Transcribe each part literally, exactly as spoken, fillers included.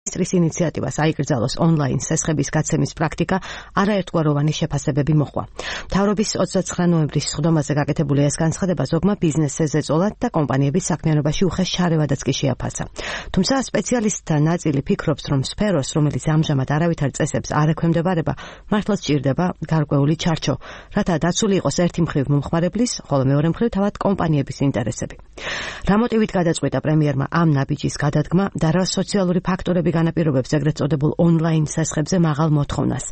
მინისტრის ინიციატივას აიკრძალოს ონლაინ სესხების გაცემის პრაქტიკა არაერთგვაროვანი შეფასებები მოჰყვა. მთავრობის ოცდაცხრა ნოემბრის სხდომაზე გაკეთებული ეს განცხადება ზოგმა ბიზნესზე ეწოლათ და კომპანიების საქმიანობაში უხეშ შარევადაც კი შეაფასა. თუმცა სპეციალისტთა ნაწილი ფიქრობს, რომ სფეროს, რომელიც ამჟამად არავითარ წესებს არ ექვემდებარება, მართლაც ჭირდება გარკვეული ჩარჩო, რათა დაცული იყოს ერთი მხრივ მომხმარებლის, ხოლო მეორე მხრივ თავად კომპანიების ინტერესები. რა მოტივით გადაწყვიტა პრემიერმა ამ ნაბიჯის გადადგმა და რა სოციალური ფაქტორები განაპირობებს ეგრეთ წოდებულ ონლაინ სესხებზე მაღალ მოთხოვნას.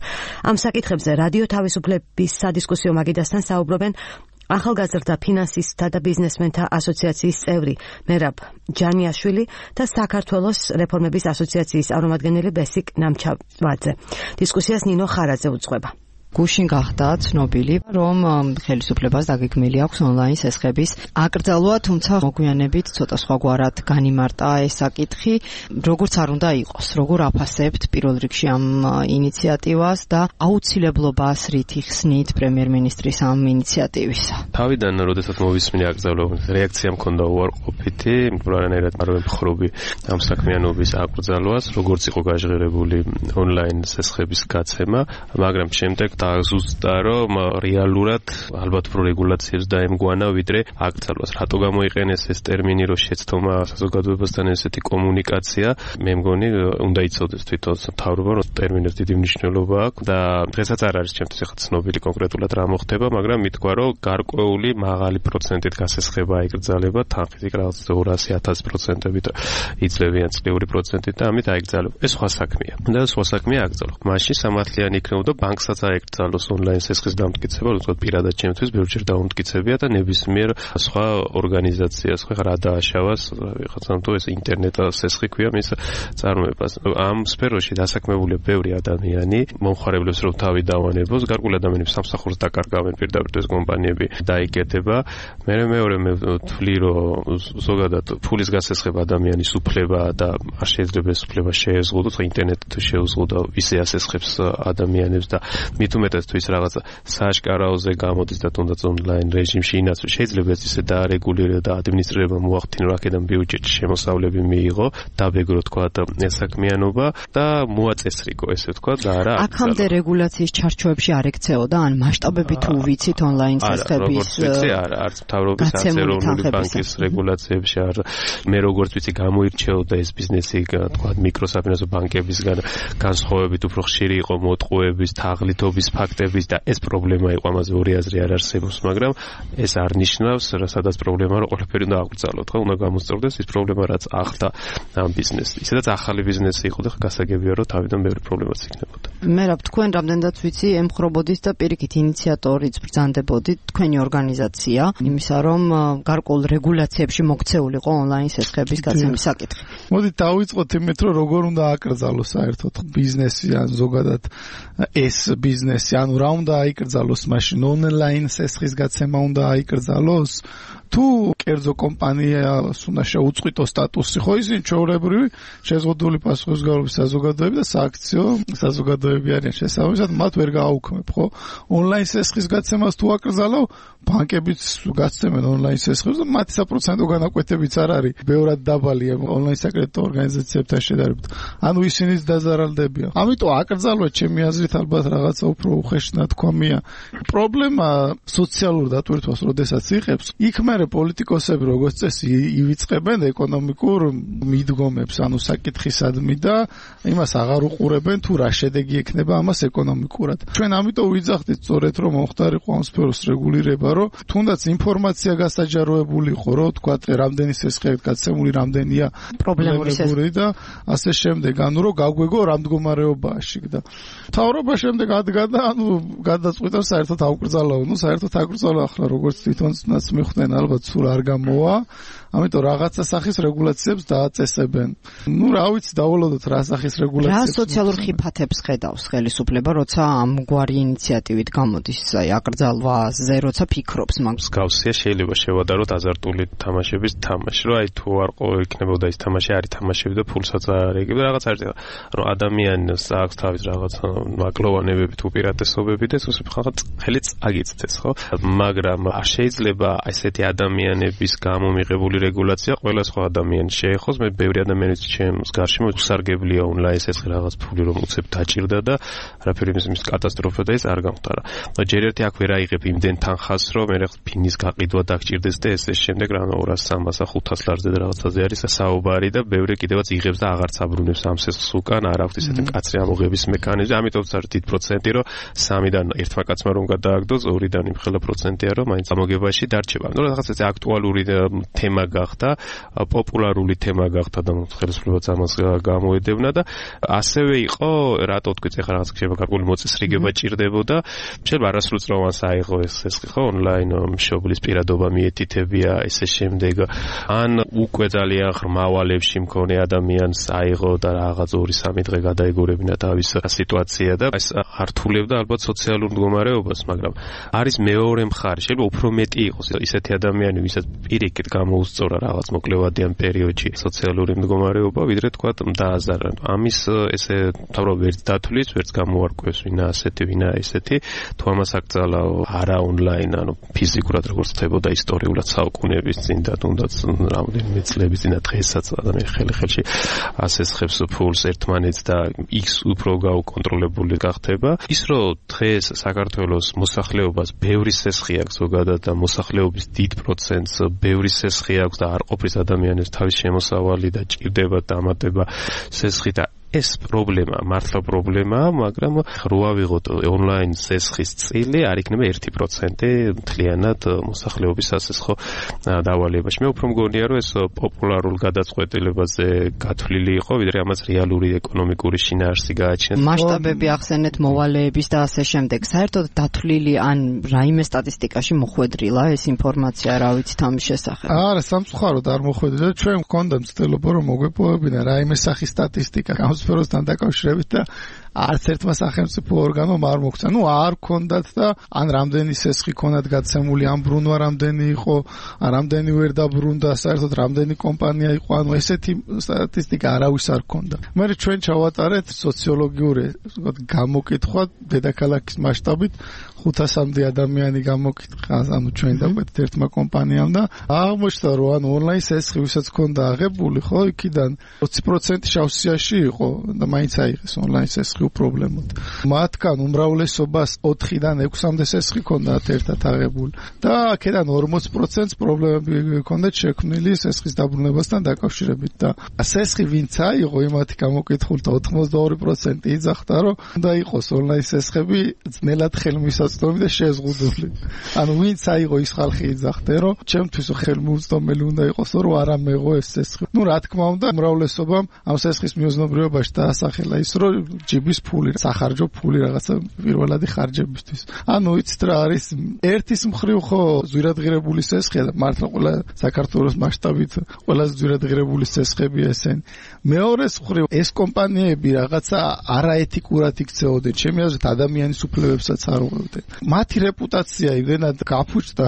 ამ საკითხებზე რადიო თავისუფლების სადისკუსიო მაგიდასთან საუბრობენ ახალგაზრდა ფინანსისტთა და ბიზნესმენთა ასოციაციის წევრი მერაბ ჯანიაშვილი და საქართველოს რეფორმების ასოციაციის წარმომადგენელი ბესიკ ნამჩავაძე. დისკუსიას ნინო ხარაძე უძღვება. გუშინ გახდა ცნობილი, რომ ხელისუფლებას დაგეგმილი აქვს ონლაინ სესხების აკრძალვა, თუმცა მოგვიანებით ცოტა სხვაგვარად განიმარტა ეს საკითხი, როგორც არ უნდა იყოს, როგორ აფასებთ პირველ რიგში ამ ინიციატივას და აუცილებლობას რით იხსნით პრემიერ-მინისტრის ამ ინიციატივისა. თავიდან, როდესაც მოვისმინე აკრძალვა, რეაქცია მქონდა უარყოფითი, რანაირად არ ვემხრობი ამ საქმიანობის აკრძალვას, როგორც იყო გაჟღერებული ონლაინ სესხების გაცემა, მაგრამ შემდეგ დაზუსტა, რომ რეალურად ალბათ პრო რეგულაციებს დაემგვანა ვიდრე აკრძალვას. რატო გამოიყენეს ეს ტერმინი, რომ შეცდომა საზოგადოებასთან ესეთი კომუნიკაცია? მე მგონი უნდა იცოდეს თვითონ მთავრობა, რომ ტერმინებს დიდი მნიშვნელობა აქვს და დღესაც არ არის ჩემთვის ახლა ცნობილი კონკრეტულად რა მოხდება, მაგრამ მითქვა, რომ გარკვეული მაღალი პროცენტით გასესხება აიკრძალება, თანხით რაღაც ორასი ათასი პროცენტებით იძლევიან წლიური პროცენტით და ამით აიკრძალება. ეს სხვა საქმეა. და სხვა საქმეა აკრძალვა. მაშინ სამართლიანი იქნებოდა ბანკსაც აიკრძალოს ონლაინ სესხის დამტკიცება, უბრალოდ პირადად ჩემთვის ბევრჯერ დაუმტკიცებია და ნებისმიერ სხვა ორგანიზაციას, ხო ხარ დააშავას, ვიღაცამ თუ ეს ინტერნეტ სესხი ქვია მის წარმოებას. ამ სფეროში დასაქმებულია ბევრი ადამიანი, მომხმარებლებს რომ თავი დავანებოს, გარკვეული ადამიანები სამსახურს დაკარგავენ პირდაპირ ეს კომპანიები დაიკეთება. მე მეორე მე ვთვლი, რომ ზოგადად ფულის გასესხება ადამიანის უფლება და არ შეიძლება ეს უფლება შეეზღუდოს, ხო ინტერნეტი თუ შეუზღუდო ისე ასესხებს ადამიანებს და მით უმეტეს თუ ის რაღაცა სააშკარაოზე გამოდის და თუნდაც ონლაინ რეჟიმში ინაცვლი, შეიძლება ეს ისე დაარეგულირება და ადმინისტრირება მოახდინო, აქედან ბიუჯეტში შემოსავლები მიიღო, დაბეგრო თქვა ეს საქმიანობა და მოაწესრიგო, ესე ვთქვა და არა. აქამდე რეგულაციის ჩარჩოებში არ ექცეოდა, ან მასშტაბები თუ ვიცით ონლაინ სესხების ვიცი, არა, არც მთავრობის არც ეროვნული ბანკის რეგულაციებში არ. მე როგორც ვიცი, გამოირჩეოდა ეს ბიზნესი, თქვა მიკროსაფინანსო ბანკებისგან განსხვავებით უფრო ხშირი იყო მოტყუების, თაღლითობის ფაქტების და ეს პრობლემა იყო, ამაზე ორი აზრი არ არსებობს, მაგრამ ეს არ ნიშნავს, სადაც პრობლემა რომ ყველაფერი უნდა აღბრძალოთ, ხო, უნდა გამოსწორდეს ის პრობლემა, რაც ახლდა ამ ბიზნესს. ისედაც ახალი ბიზნესი იყო და გასაგებია, რომ თავიდან ბევრი პრობლემაც იქნებოდა. მერაბ, თქვენ რამდენადაც ვიცი, ემხრობოდით და პირიქით ინიციატორიც ბრძანდებოდით, თქვენი ორგანიზაცია, იმისა, რომ გარკვეულ რეგულაციებში მოქცეულიყო ონლაინ სესხების გაცემის საკითხი. მოდით დავიწყოთ იმით, რომ როგორ უნდა აკრძალოს საერთოდ ბიზნესი ან ზოგადად ეს ბიზნესი, ანუ რა უნდა აიკრძალოს მაშინ, ონლაინ სესხის გაცემა უნდა აიკრძალოს? თუ კერძო კომპანიას უნდა შეუწყვიტოს სტატუსი, ხო ისინი ჩვეულებრივი შეზღუდული პასუხისმგებლობის საზოგადოები და სააქციო საზოგადოები არიან, შესაბამისად მათ ვერ გააუქმებ, ხო? ონლაინ სესხის გაცემას თუ აკრძალავ, ბანკებიც გაცემენ ონლაინ სესხებს და მათი საპროცენტო განაკვეთებიც არ არის ბევრად დაბალია ონლაინ საკრედიტო ორგანიზაციებთან შედარებით. ანუ ისინიც დაზარალდებიან. ამიტომ აკრძალვა ჩემი აზრით ალბათ რაღაცა უფრო უხეში ნათქვამია. პრობლემა სოციალურ დატვირთვას როდესაც იღებს, იქ მე პოლიტიკოსები როგორც წესი ივიწყებენ ეკონომიკურ მიდგომებს, ანუ საკითხისადმი და იმას აღარ უყურებენ თუ რა შედეგი ექნება ამას ეკონომიკურად. ჩვენ ამიტომ ვიძახდით სწორედ რომ მომხდარიყო ამ სფეროს რეგულირება, რომ თუნდაც ინფორმაცია გასაჯაროებული იყო, რომ თქვა რამდენი სესხია გაცემული, რამდენია პრობლემური და ასე შემდეგ, ანუ რომ გაგვეგო რა მდგომარეობაა შიგ და მთავრობა შემდეგ ადგა და ანუ გადაწყვიტა საერთოდ აუკრძალავ, ну საერთოდ აკრძალა ახლა როგორც თვითონაც მიხვდნენ ალბათ სულ არ გამოვა, ამიტომ რაღაცა სახის რეგულაციებს დააწესებენ. ну რა ვიცი, დავალოდოთ რა სახის რეგულაციებს. რა სოციალურ ხიფათებს ხედავს ხელისუფლება, როცა ამგვარი ინიციატივით გამოდის, აი აკრძალვაზე, როცა ფიქრობს მაგას. გავსია შეიძლება შევადაროთ აზარტული თამაშების თამაში, რომ აი თუ არ იქნებოდა ის თამაში, არის თამაშები და ფულსაც არ ეკება, რაღაც არის, რომ ადამიანს აქვს თავის რაღაც მაკლოვანებები თუ უპირატესობები და ეს ხალხად ხელიც აგიცდეს, ხო? მაგრამ არ შეიძლება ესეთი ადამიანების გამო მიღებული რეგულაცია ყველა სხვა ადამიანს შეეხოს. მე ბევრი ადამიანის ჩემს გარშემო უსარგებლია ონლაინ სესხი რაღაც ფული რომ უცებ დაჭირდა და არაფერი მის კატასტროფა და ეს არ გამხდარა. ჯერ ერთი აქ ვერ აიღებ იმდენ თანხას რომ მე რაღაც ფინის გაყიდვა დაგჭირდეს და ეს ეს შემდეგ რა ორას სამასა ხუთას ლარზე და რაღაცაზე არის საუბარი და ბევრი კიდევაც იღებს და აღარც აბრუნებს ამ სესხს უკან არ აქვს ისეთი მკაცრი ამოღების მექანიზმი. ამიტომ არის დიდ პროცენტი რომ სამიდან ერთმა კაცმა რომ გადააგდოს ორიდან იმხელა პროცენტია რომ მაინც ამოგებაში დარჩება. ნუ რაღაც ეს აქტუალური თემა გახდა, პოპულარული თემა გახდა და ხელისუფლებაც ამას გამოედევნა და ასევე იყო რატო თქვი ეხლა რაღაც შეიძლება გარკვეული მოწესრიგება ჭირდებოდა. შეიძლება არასრულწლოვანს აიღო ეს სესხი ხო ონლაინ მშობლის პირადობა მიეთითებია ესე შემდეგ ან უკვე ძალიან ღრმა ვალებში მქონე ადამიანს აიღო და რაღაც ორი სამი დღე გადაეგურებინა თავის სიტუაცია და ეს ართულებდა ალბათ სოციალურ მდგომარეობას, მაგრამ არის მეორე მხარე, შეიძლება უფრო მეტი იყოს ისეთი ადამიანი, ვისაც პირიქით გამოუსწორა რაღაც მოკლევადიან პერიოდში სოციალური მდგომარეობა, ვიდრე თქვა დააზარა. ამის ესე თავრობ ვერც დათვლის, ვერც გამოარკვევს ვინა ასეთი, ვინა ესეთი, თუ ამას აკრძალავ არა ონლაინ, ანუ ფიზიკურად როგორც ხდებოდა ისტორიულად საუკუნეების წინ და თუნდაც რამდენიმე წლების წინ და დღესაც ადამიანი ხელი-ხელში ასესხებს ფულს ერთმანეთს და X უფრო გაუკონტროლებული გახდება. ის რომ დღეს საქართველოს მოსახლეობას ბევრი სესხი აქვს ზოგადად და მოსახლეობის დიდ პროცენტს ბევრი სესხი აქვს და არ ყოფის ადამიანებს თავის შემოსავალი და ჭირდება დამატება სესხი და ეს პრობლემა, მართლა პრობლემაა, მაგრამ რო ავიღოთ ონლაინ სესხის წილი არ იქნება ერთი პროცენტი მთლიანად მოსახლეობის სასესხო დავალებაში. მე უფრო მგონია, რომ ეს პოპულარულ გადაწყვეტილებაზე გათვლილი იყო, ვიდრე ამას რეალური ეკონომიკური შინაარსი გააჩნია. მასშტაბები ახსენეთ მოვალეების და ასე შემდეგ. საერთოდ დათვლილი ან რაიმე სტატისტიკაში მოხვედრილა ეს ინფორმაცია, რა ვიცით ამის შესახებ? არა, სამწუხაროდ არ მოხვედრილა. ჩვენ გვქონდა მცდელობა რომ მოგვეპოვებინა რაიმე სახის სტატისტიკა სფეროსთან დაკავშირებით და არც ერთმა სახელმწიფო ორგანომ არ მოგვცა. ნუ არ ქონდათ და ან რამდენი სესხი ქონდათ გაცემული, ამ ბრუნვა რამდენი იყო, რამდენი ვერ დაბრუნდა, საერთოდ რამდენი კომპანია იყო, ანუ ესეთი სტატისტიკა არავის არ ქონდა. მე ჩვენ ჩავატარეთ სოციოლოგიური გამოკითხვა დედაქალაქის მასშტაბით ხუთასამდე ადამიანი გამოკითხა, ანუ ჩვენ დაგვეთ ერთმა კომპანიამ და აღმოჩნდა რომ ანუ ონლაინ სესხი ვისაც ქონდა აღებული, ხო, იქიდან ოცი პროცენტი შავსიაში იყო და მაინც აიღეს ონლაინ სესხი უპრობლემოდ. მათგან უმრავლესობას ოთხიდან ექვსამდე სესხი ქონდათ ერთად აღებული და აქედან ორმოცი პროცენტს პრობლემები ქონდათ შექმნილი სესხის დაბრუნებასთან დაკავშირებით და სესხი ვინც აიღო იმათი გამოკითხულთა ოთხმოცდაორი პროცენტი იძახდა რომ უნდა იყოს ონლაინ სესხები ძნელად ხელმისაწვდომი და შეზღუდული. ანუ ვინც აიღო ის ხალხი იძახდა რომ ჩემთვის ხელმისაწვდომელი უნდა იყოს რომ არ ამეღო ეს სესხი. ნუ რა თქმა უნდა უმრავლესობამ ამ სესხის მიუძნობრიობაში დაასახელა ის რომ ჯიბის ფული, სახარჯო ფული რაღაცა პირველადი ხარჯებისთვის. ანუ იცით რა არის ერთის მხრივ ხო ზვირადღირებული სესხია და მართლა ყველა საქართველოს მასშტაბით ყველაზე ზვირადღირებული სესხებია ესენი. მეორეს მხრივ ეს კომპანიები რაღაცა არაეთიკურად იქცეოდნენ, ჩემი აზრით ადამიანის უფლებებსაც არ უღებდნენ. მათი რეპუტაცია იმდენად გაფუჭდა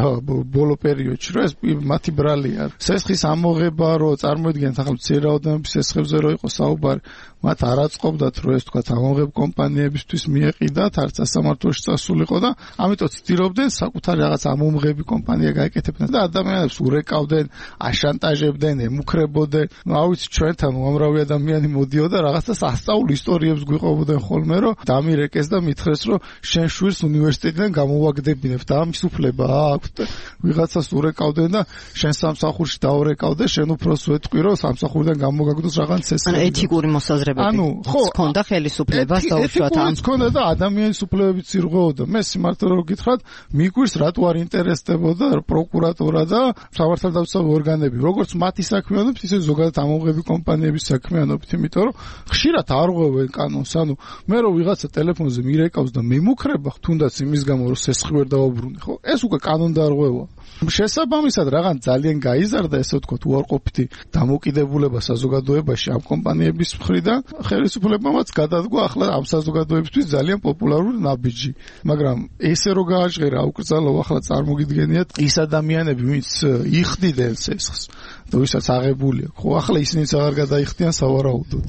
ბოლო პერიოდში, რომ ეს მათი ბრალია. სესხის ამოღება რო წარმოიდგენთ ახლა მცირე რაოდენობის სესხებზე რო იყო საუბარი, მათ არ აწყობდათ რომ ეს თქვა ამოღებ კომპანიებისთვის მიეყიდათ, არც სასამართლოში წასულიყო და ამიტომ ცდილობდნენ საკუთარი რაღაც ამომღები კომპანია გაეკეთებინათ და ადამიანებს ურეკავდნენ, აშანტაჟებდნენ, ემუქრებოდნენ. ნუ ავიცი ჩვენთან უამრავი ადამიანი მოდიოდა რაღაცა სასწაულ ისტორიებს გვიყვებოდნენ ხოლმე რომ დამირეკეს და მითხრეს რომ შენ შვირს უნივერსიტეტიდან გამოვაგდებინებ და ამის უფლება აქვს და ვიღაცას ურეკავდნენ და შენ სამსახურში დაურეკავდე, შენ უფროს ვეთყვი რომ სამსახურიდან გამოგაგდოს რაღაც ეს. ანუ ეთიკური მოსაზრებები ჰქონდა ხელისუფლებას დაუშვათ ამ ჰქონდა და ადამიანის უფლებებიც ირღვეოდა. მე სიმართლე რომ გითხრათ, მიგვირს რატო არ ინტერესდებოდა პროკურატურა და სამართალდამცავი ორგანები, როგორც მათი საქმიანობით, ისე ზოგადად ამომღები კომპანიების საქმიანობით, იმიტომ რომ ხშირად არ ღვევენ კანონს. ანუ მე რომ ვიღაცა ტელეფონზე მირეკავს და მემუქრება, თუნდაც იმის გამო რომ სესხი ვერ დავაბრუნე, ხო? ეს უკვე კანონდარღვევაა. შესაბამისად რაღაც ძალიან გაიზარდა ესე ვთქვათ უარყოფითი დამოკიდებულება საზოგადოებაში ამ კომპანიების მხრიდან ხელისუფლებამაც გადადგა ახლა ამ საზოგადოებისთვის ძალიან პოპულარული ნაბიჯი. მაგრამ ესე რო გააჟღერა აკრძალო ახლა წარმოგიდგენიათ ის ადამიანები, ვინც იხდიდნენ სესხს და ვისაც აღებული აქვს. ხო, ახლა ისინიც აღარ გადაიხდიან სავარაუდოდ.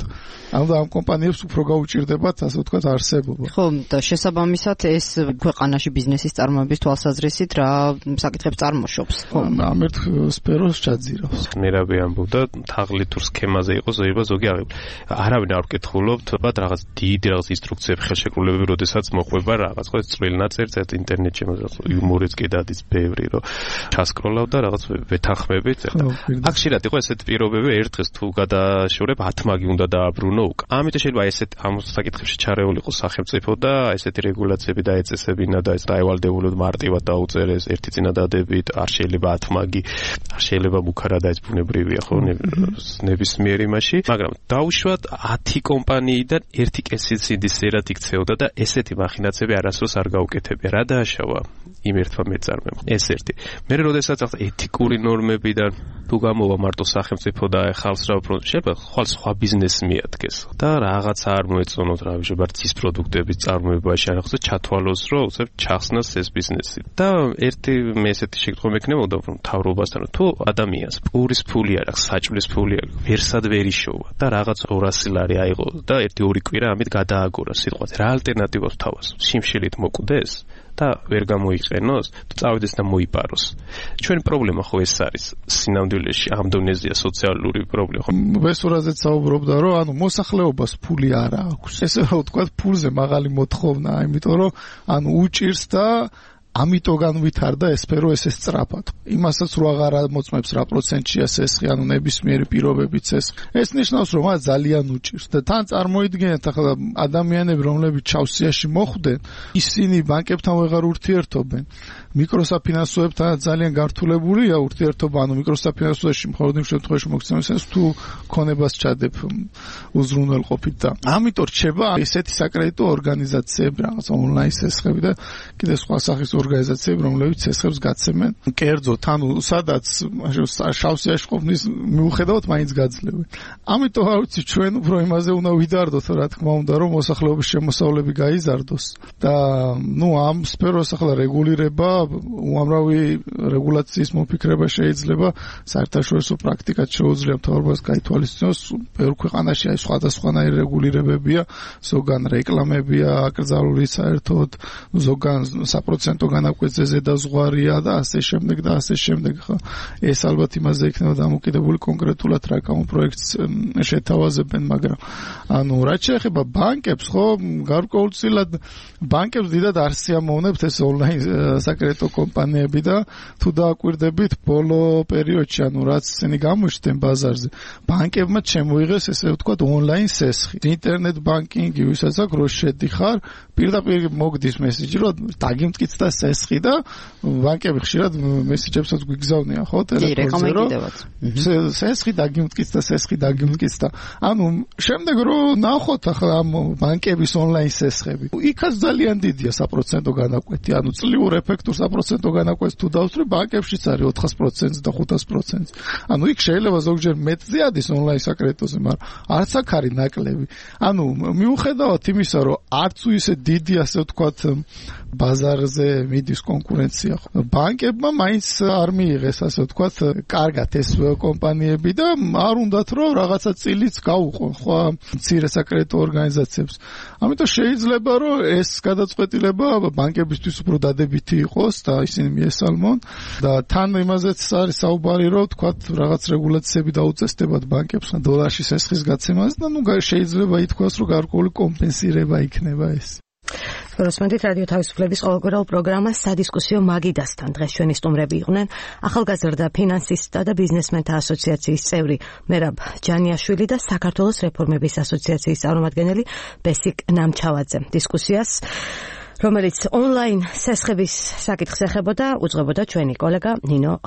ანუ ამ კომპანიებს უფრო გაუჭირდებათ, ასე ვთქვათ, არსებობა. ხო, და შესაბამისად ეს ქვეყანაში ბიზნესის წარმოების თვალსაზრისით რა საკითხებს წარმოშობს. ხო, ამ ერთ სფეროს ჩაძირავს. ნერაბი ამბობდა, თაღლით თუ სქემაზე იყოს, ზოება ზოგი აღებული. არავინ არ ვკითხულობთ, ბათ რაღაც დიდი რაღაც ინსტრუქციები, ხელშეკრულებები, როდესაც მოყვება რაღაც ხო წვრილი ნაწერიც ერთ ინტერნეტში იუმორიც კი დადის ბევრი, რომ ჩასკროლავ და რაღაც ვეთანხმებით. აქ შეიძლება იყოს ესეთ პირობები, ერთ დღეს თუ გადაშორებ ათ მაგი უნდა დააბრუნო. ამიტომ შეიძლება ესეთ ამ საკითხებში ჩარეულიყო სახელმწიფო და ესეთი რეგულაციები დაეწესებინა და ეს დაევალდებულოთ მარტივად დაუწერეს ერთი წინადადებით, არ შეიძლება ათ მაგი, არ შეიძლება მუქარა და ეს ბუნებრივია ხო ნებისმიერ იმაში, მაგრამ დაუშვათ ათი კომპანიიდან ერთი კესიცინდის ზერად იქცეოდა და ესეთი მახინაციები არასდროს არ გაუკეთებია. რა დააშავა იმ ერთმა მეწარმემ? ეს ერთი. მე როდესაც ახლა ეთიკური ნორმებიდან თუ გამოვა მარტო სახელმწიფო და ხალხს რა უფრო შეიძლება ხვალ სხვა ბიზნესი მიადგეს და რაღაცა არ მოეწონოთ რა შეიძლება ცის პროდუქტების წარმოებაში არ ახსოვს ჩათვალოს რომ უცებ ჩახსნას ეს ბიზნესი და ერთი მე ესეთი შეკითხვა მექნებოდა რომ მთავრობასთან თუ ადამიანს პურის ფული არ აქვს საჭმლის ფული არ ვერსად ვერ იშოვა და რაღაც ორასი ლარი აიღო და ერთი ორი კვირა ამით გადააგორა სიტყვაზე რა ალტერნატივას თავას სიმშილით მოკვდეს და ვერ გამოიყენოს, თუ წავიდეს და მოიპაროს. ჩვენი პრობლემა ხო ეს არის სინამდვილეში ამ დონეზეა სოციალური პრობლემა. ვესურაზეც საუბრობდა, რომ ანუ მოსახლეობას ფული არ აქვს. ესე რა ვთქვათ, ფულზე მაღალი მოთხოვნაა, იმიტომ რომ ანუ უჭირს და ამიტომ განვითარდა ეს სფერო ესე სწრაფად. იმასაც რო აღარ მოწმებს რა პროცენტია სესხი, ანუ ნებისმიერი პირობებით სესხი. ეს ნიშნავს, რომ მას ძალიან უჭირს და თან წარმოიდგინეთ ახლა ადამიანები, რომლებიც ჩავსიაში მოხვდნენ, ისინი ბანკებთან ვეღარ ურთიერთობენ. მიკროსაფინანსოებთან ძალიან გართულებულია ურთიერთობა, ანუ მიკროსაფინანსოებში მხოლოდ იმ შემთხვევაში მოგცემს ეს თუ ქონებას ჩადებ უზრუნველყოფით და ამიტომ რჩება ესეთი საკრედიტო ორგანიზაციები, რაღაც ონლაინ სესხები და კიდე სხვა სახის ორგანიზაციები, რომლებიც სესხებს გაცემენ. კერძოდ, ანუ სადაც შავსიაში ყოფნის მიუხედავად მაინც გაძლევენ. ამიტომ არ ვიცი, ჩვენ უფრო იმაზე უნდა ვიდარდოთ, რა თქმა უნდა, რომ მოსახლეობის შემოსავლები გაიზარდოს და ნუ ამ სფეროს ახლა რეგულირება, უამრავი რეგულაციის მოფიქრება შეიძლება, საერთაშორისო პრაქტიკად შეუძლია მთავრობას გაითვალისწინოს, ბევრ ქვეყანაში აი სხვადასხვანაირი რეგულირებებია, ზოგან რეკლამებია აკრძალული საერთოდ, ზოგან საპროცენტო განაკვეთზე ზედაზღვარია და ასე შემდეგ და ასე შემდეგ. ხო, ეს ალბათ იმაზე იქნება დამოკიდებული კონკრეტულად რა კამო პროექტს შეთავაზებენ, მაგრამ ანუ რაც შეეხება ბანკებს, ხო, გარკვეულწილად ბანკებს დიდად არ სიამოვნებთ ეს ონლაინ საკრედიტო კომპანიები და თუ დააკვირდებით ბოლო პერიოდში, ანუ რაც ისინი გამოჩნდნენ ბაზარზე, ბანკებმა შემოიღეს ესე ვთქვათ ონლაინ სესხი. ინტერნეტ ბანკინგი, ვისაც აქვს რო შედიხარ, პირდაპირ მოგდის მესიჯი, რომ დაგიმტკიცდა სესხი და ბანკები ხშირად მესიჯებსაც გვიგზავნიან, ხო, ტელეფონზე, რომ სესხი დაგიმტკიცდა, სესხი დაგიმტკიცდა. ანუ შემდეგ რო ნახოთ ახლა ამ ბანკების ონლაინ სესხები, იქაც ძალიან დიდია საპროცენტო განაკვეთი, ანუ წლიურ ეფექტურ საპროცენტო განაკვეთს თუ დავსწრებ, ბანკებშიც არის ოთხასი პროცენტი და ხუთასი პროცენტი. ანუ იქ შეიძლება ზოგჯერ მეტზე ადის ონლაინ საკრედიტოზე, მაგრამ არც აქ არის ნაკლები. ანუ მიუხედავად იმისა, რომ არც ისე დიდი ასე ვთქვათ ბაზარზე მიდის კონკურენცია, ბანკებმა მაინც არ მიიღეს ასე ვთქვათ კარგად ეს კომპანიები და არ უნდათ რომ რაღაცა წილიც გაუყონ ხო მცირე საკრედიტო ორგანიზაციებს. ამიტომ შეიძლება რომ ეს გადაწყვეტილება ბანკებისთვის უფრო დადებითი იყოს და ისინი მიესალმონ და თან იმაზეც არის საუბარი რომ ვთქვათ რაღაც რეგულაციები დაუწესდებათ ბანკებს დოლარში სესხის გაცემას და ნუ შეიძლება ითქვას რომ გარკვეული კომპენსირება იქნება ეს. როსმენდით რადიო თავისუფლების ყოველკვირეულ პროგრამას სადისკუსიო მაგიდასთან დღეს ჩვენი სტუმრები იყვნენ ახალგაზრდა ფინანსისტთა და ბიზნესმენთა ასოციაციის წევრი მერაბ ჯანიაშვილი და საქართველოს რეფორმების ასოციაციის წარმომადგენელი ბესიკ ნამჩავაძე. დისკუსიას, რომელიც ონლაინ სესხების საკითხს ეხებოდა, უძღვებოდა ჩვენი კოლეგა ნინო